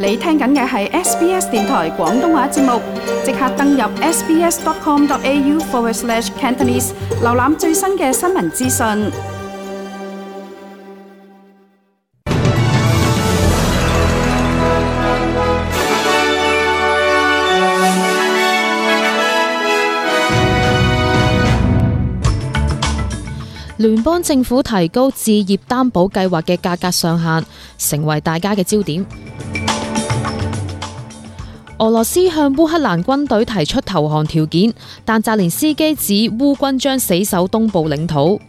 你聽緊嘅係 SBS 電台廣東話節目，即刻登入 sbs.com.au/Cantonese 瀏覽最新嘅新聞資訊。聯邦政府提高置業擔保計劃嘅價格上限，成為大家嘅焦點。俄羅斯向烏克蘭軍隊提出投降條件，但澤連斯基指烏軍將死守東部領土。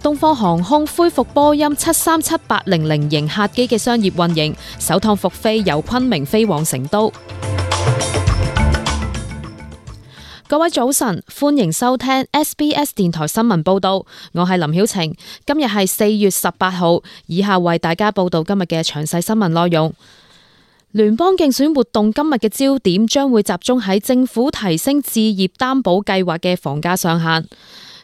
東方航空恢復波音737-800型客機嘅商業運營，首趟復飛由昆明飛往成都。各位早晨，歡迎收聽 SBS 電台新聞報道，我係林曉晴。今日係4月18號，以下為大家報道今日嘅詳細新聞內容。聯邦競選活動今日嘅焦點將會集中喺政府提升置業擔保計劃嘅房價上限。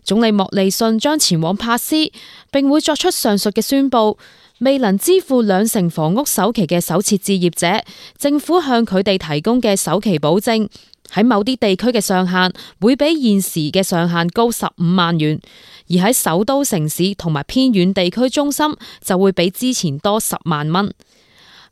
總理莫利遜將前往珀斯，並會作出上述嘅宣佈。未能支付2成房屋首期嘅首次置業者，政府向佢哋提供嘅首期保證，喺某啲地區嘅上限會比現時嘅上限高15萬元，而喺首都城市同埋偏遠地區中心就會比之前多10萬蚊。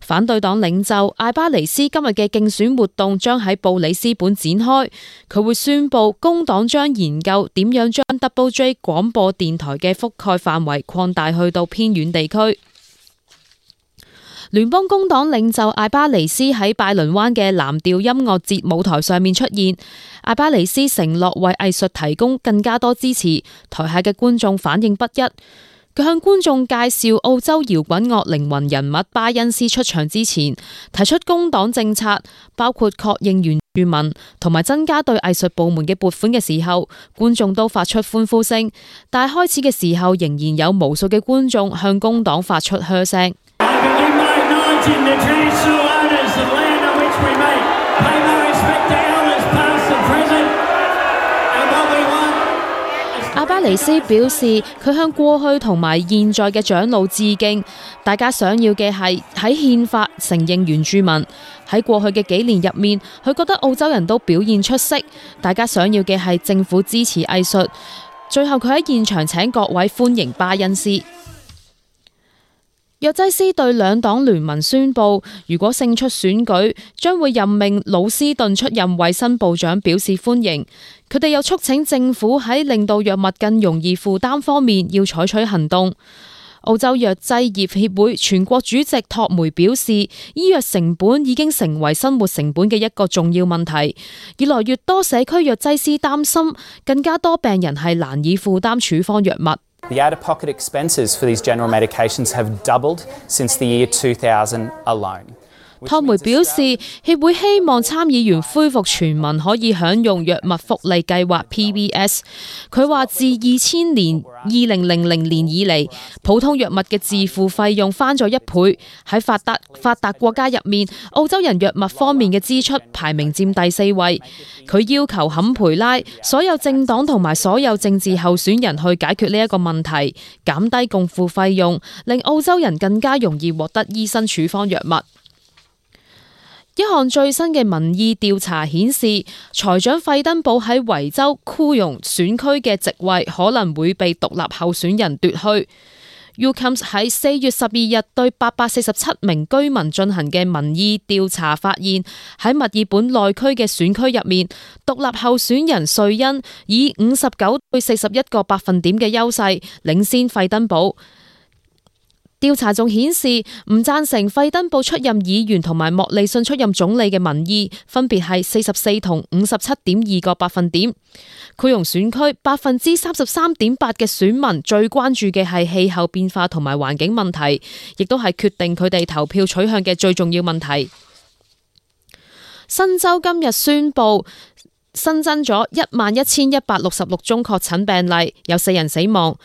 反對黨領袖艾巴尼斯今日嘅競選活動將喺布里斯本展開，佢會宣布工黨將研究點樣將 Double J 廣播電台嘅覆蓋範圍擴大去到偏遠地區。聯邦工黨領袖艾巴尼斯喺拜倫灣嘅藍調音樂節舞台上面出現，艾巴尼斯承諾為藝術提供更加多支持，台下嘅觀眾反應不一。佢向觀眾介紹澳洲搖滾樂靈魂人物巴恩斯出場之前，提出工黨政策，包括確認原住民同埋增加對藝術部門嘅撥款嘅時候，觀眾都發出歡呼聲，但係開始嘅時候仍然有無數嘅觀眾向工黨發出噓聲。阿巴尼斯表示，佢向過去同埋現在嘅長老致敬。大家想要嘅係喺憲法承認原住民。喺過去嘅幾年入面，佢覺得澳洲人都表現出色。大家想要嘅係政府支持藝術。最後佢喺現場請各位歡迎巴恩斯。藥劑師對兩黨聯盟宣布，如果勝出選舉，將會任命魯斯頓出任衛生部長，表示歡迎。佢哋又促請政府喺令到藥物更容易負擔方面要採取行動。澳洲藥劑業協會全國主席托梅表示，醫藥成本已經成為生活成本嘅一個重要問題。越來越多社區藥劑師擔心，更加多病人係難以負擔處方藥物。The out-of-pocket expenses for these general medications have doubled since the year 2000 alone. 托梅表示，協會希望參議員恢復全民可以享用藥物福利計劃 PBS。佢話自2000年以嚟，普通藥物嘅自付費用翻咗1倍。喺發達國家入面，澳洲人藥物方面嘅支出排名佔第4位。佢要求坎培拉所有政黨同埋所有政治候選人去解決呢一個問題，減低共付費用，令澳洲人更加容易獲得醫生處方藥物。一項最新嘅民意調查顯示，財長費登堡喺維州庫容選區嘅席位可能會被獨立候選人奪去。UCAMS 喺4月12日對847名居民進行嘅民意調查發現，喺墨爾本內區嘅選區入面，獨立候選人瑞恩以59對41個百分點嘅優勢領先費登堡。調查仲顯示，唔贊成費登堡出任議員同埋莫利遜出任總理嘅民意分別係44同57.2個百分點。庫容選區33.8%嘅選民最關注嘅係氣候變化同埋環境問題，亦都係決定佢哋投票取向嘅最重要問題。新州今日宣布新增咗11,166宗確診病例，有4人死亡，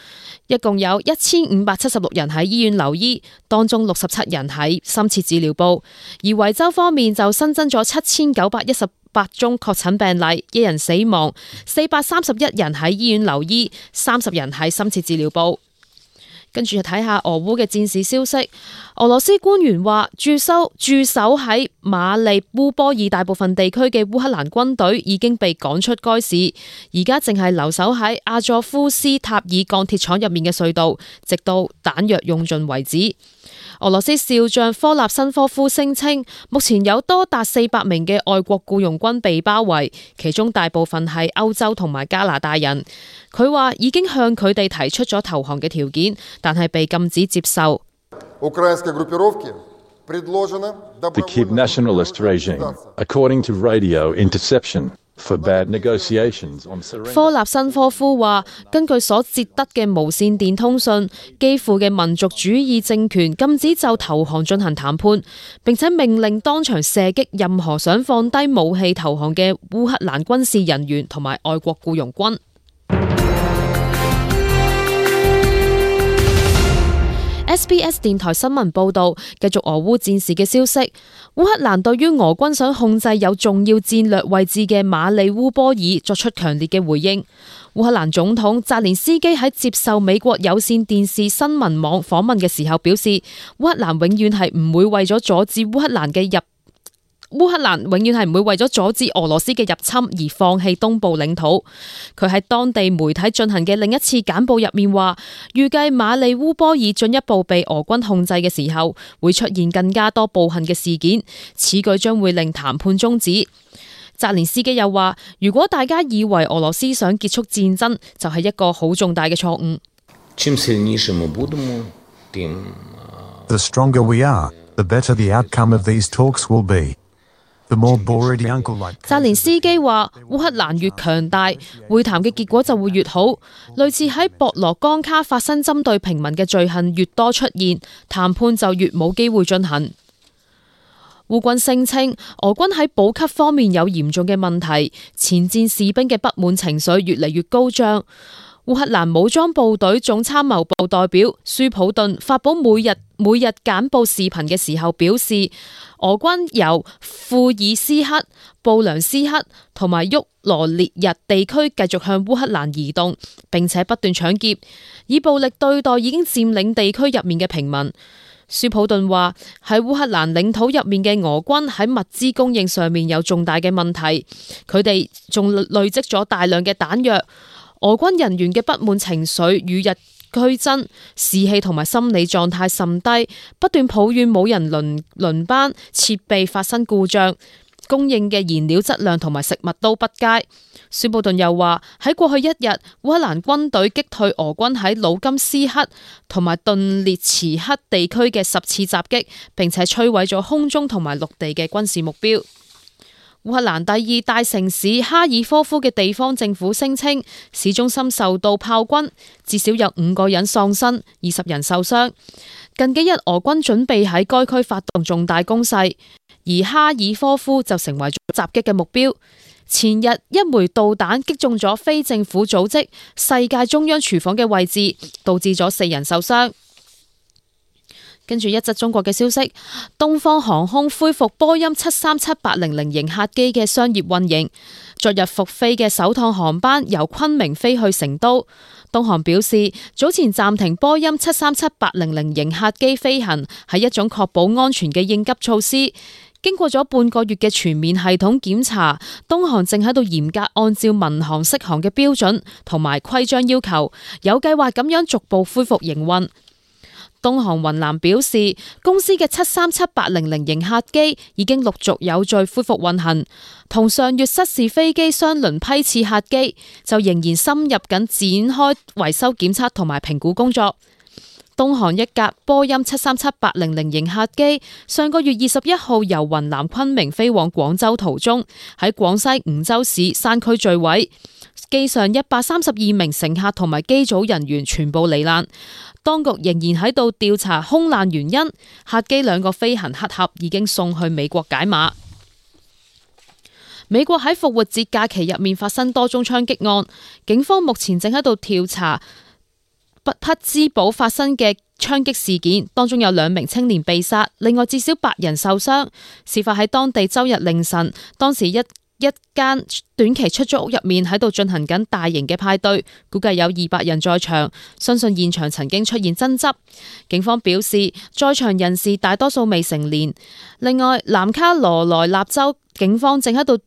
一共有1576人喺醫院留醫，當中67人喺深切治療部。而維州方面就新增咗7918宗確診病例，1人死亡，431人喺醫院留醫，30人喺深切治療部。跟住睇下俄烏嘅戰事消息。俄羅斯官員話，駐守喺馬里烏波爾大部分地區嘅烏克蘭軍隊已經被趕出該市，而家淨係留守喺阿佐夫斯塔爾鋼鐵廠入面嘅隧道，直到彈藥用盡為止。俄羅斯少將科納申科夫聲稱，目前有多達400名嘅外國僱傭軍被包圍，其中大部分係歐洲同埋加拿大人。佢話已經向佢哋提出咗投降嘅條件，但係被禁止接受。The Kiev nationalist regime, according to radio interception, forbade negotiations on surrender. 科納申科夫話，根據所截得嘅無線電通訊，基輔嘅民族主義政權禁止就投降進行談判，並且命令當場射擊任何想放低武器投降嘅烏克蘭軍事人員同埋外國僱傭軍。SBS 電台新聞報道，繼續俄烏戰事嘅消息。烏克蘭對於俄軍想控制有重要戰略位置嘅馬里烏波爾作出強烈嘅回應。烏克蘭總統澤連斯基喺接受美國有線電視新聞網訪問嘅時候表示，烏克蘭永遠係唔會為咗阻止烏克蘭永遠係唔會為咗阻止俄羅斯嘅入侵而放棄東部領土。佢喺當地媒體進行嘅另一次簡報入面話，預計馬里烏波爾進一步被俄軍控制嘅時候，會出現更加多暴行嘅事件，此舉將會令談判終止。澤連斯基又話，如果大家以為俄羅斯想結束戰爭，就係一個好重大嘅錯誤。The stronger we are, the better the outcome of these talks will be.澤連斯基話，烏克蘭越強大，會談嘅結果就會越好。類似喺博羅江卡發生針對平民嘅罪行越多出現，談判就越冇機會進行。烏軍聲稱，俄軍喺補給方面有嚴重嘅問題，前線士兵嘅不滿情緒越嚟越高漲。烏克蘭武裝部隊總參謀部代表舒普頓發佈每日簡報視頻嘅時候表示，俄軍由庫爾斯克、布良斯克同埋沃羅涅日地區繼續向烏克蘭移動，並且不斷搶劫，以暴力對待已經佔領地區入面嘅平民。舒普頓話，喺烏克蘭領土入面嘅俄軍喺物資供應上面有重大嘅問題，佢哋仲累積咗大量嘅彈藥。俄軍人員嘅不滿情緒與日俱增，士氣同埋心理狀態甚低，不斷抱怨冇人輪班，設備發生故障，供應嘅燃料質量同埋食物都不佳。舒普頓又話，喺過去一日，烏克蘭軍隊擊退俄軍喺魯金斯克同埋頓涅茨克地區嘅10次襲擊，並且摧毀咗空中同埋陸地嘅軍事目標。烏克蘭第二大城市哈爾科夫嘅地方政府聲稱，市中心受到炮轟，至少有5個人喪生，20人受傷。近幾日俄軍準備喺該區發動重大攻勢，而哈爾科夫就成為咗襲擊嘅目標。前日一枚導彈擊中咗非政府組織世界中央廚房嘅位置，導致咗4人受傷。跟住一則中國嘅消息，東方航空恢復波音737-800型客機嘅商業運營。昨日復飛嘅首趟航班由昆明飛去成都。東航表示，早前暫停波音737-800型客機飛行係一種確保安全嘅應急措施。經過咗半個月嘅全面系統檢查，東航正喺度嚴格按照民航適航嘅標準同埋規章要求，有計劃咁樣逐步恢復營運。東航雲南表示，公司嘅737-800型客機已經陸續有序恢復運行，同上月失事飛機相鄰批次客機就仍然深入緊展開維修檢測同埋評估工作。東航一架波音737-800型客機上個月21號由雲南昆明飛往廣州途中，喺廣西梧州市山區墜毀，機上132名乘客同埋機組人員全部罹難。當局仍然喺度調查空難原因，客機2個飛行黑盒已經送去美國解碼。美國喺復活節假期入面發生多宗槍擊案，警方目前正喺度調查匹茲堡發生嘅槍擊事件，當中有2名青年被殺，另外至少8人受傷。事發喺當地周日凌晨，當時一一間短期出租屋入面喺度進行緊大型嘅派對，估計有200人在場，相信現場曾經出現爭執。警方表示，在場人士大多數未成年。另外，南卡羅來納州警方正喺度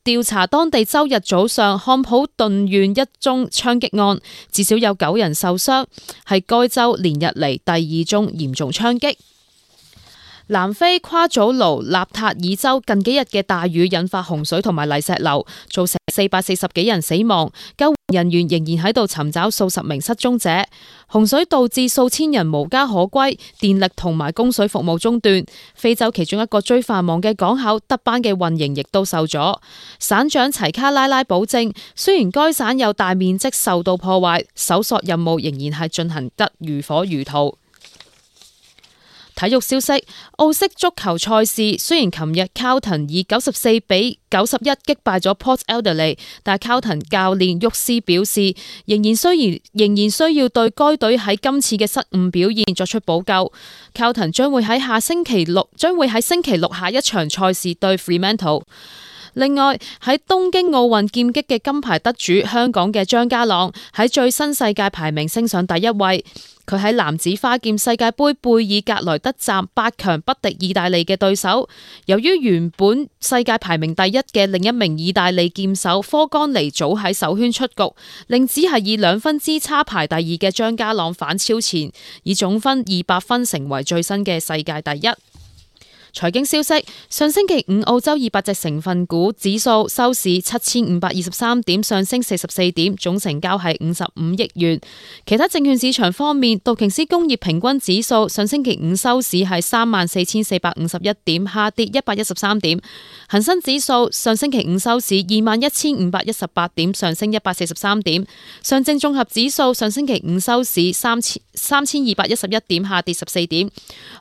調查當地周日早上漢普頓縣一宗槍擊案，至少有9人受傷，係該州連日嚟第2宗嚴重槍擊。南非夸祖盧納塔爾州近幾日嘅大雨引發洪水同埋泥石流，造成440幾人死亡，救援人員仍然喺度尋找數十名失蹤者。洪水導致數千人無家可歸，電力同埋供水服務中斷。非洲其中一個最繁忙嘅港口德班嘅運營亦都受阻。省長齊卡拉拉保證，雖然該省有大面積受到破壞，搜索任務仍然係進行得如火如荼。體育消息，澳式足球賽事雖然琴日Carlton以94比91擊敗咗 Port Adelaide， 但Carlton教練沃斯表示，仍然需要對該隊喺今次嘅失誤表現作出補救。Carlton 將會喺星期六下一場賽事對 Fremantle。另外喺東京奧運劍擊嘅金牌得主香港嘅張家朗喺最新世界排名升上第1位。佢喺男子花劍世界盃貝爾格萊德站8強不敵意大利嘅對手。由於原本世界排名第1嘅另一名意大利劍手科干尼早喺首圈出局，令只係以2分之差排第2嘅張家朗反超前，以總分200分成為最新嘅世界第1。財經消息，上星期5澳洲200隻成分股指數收市7523點，上升44點，總成交係55億元。其他證券市場方面，道瓊斯工業平均指數上星期5收市係34451點，下跌113點。恒生指數上星期5收市21518點，上升143點。上證綜合指數上星期5收市3211點，下跌14點。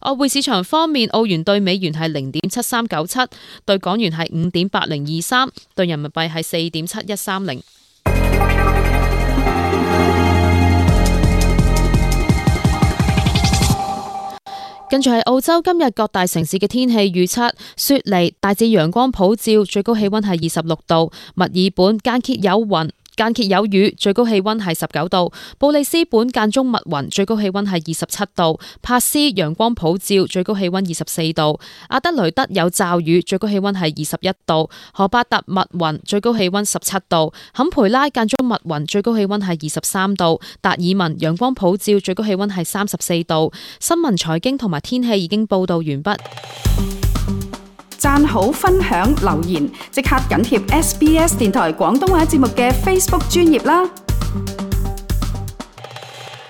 外匯市場方面，澳元對美元係0.7397，對港元係5.8023，對人民幣係4.7130。跟住係澳洲今日各大城市嘅天氣預測：雪梨大致陽光普照，最高氣溫係26度；墨爾本間歇有雨，最高氣溫係19度；布里斯本間中密雲，最高氣溫係27度；帕斯陽光普照，最高氣溫24度；阿德雷德有驟雨，最高氣溫係21度；荷巴特密雲，最高氣溫17度；坎培拉間中密雲，最高氣溫係23度；達爾文陽光普照，最高氣溫係34度。新聞財經同埋天氣已經報道完畢。讚好、分享、留言，即刻緊貼SBS 電台廣東話節目嘅 Facebook 專頁啦！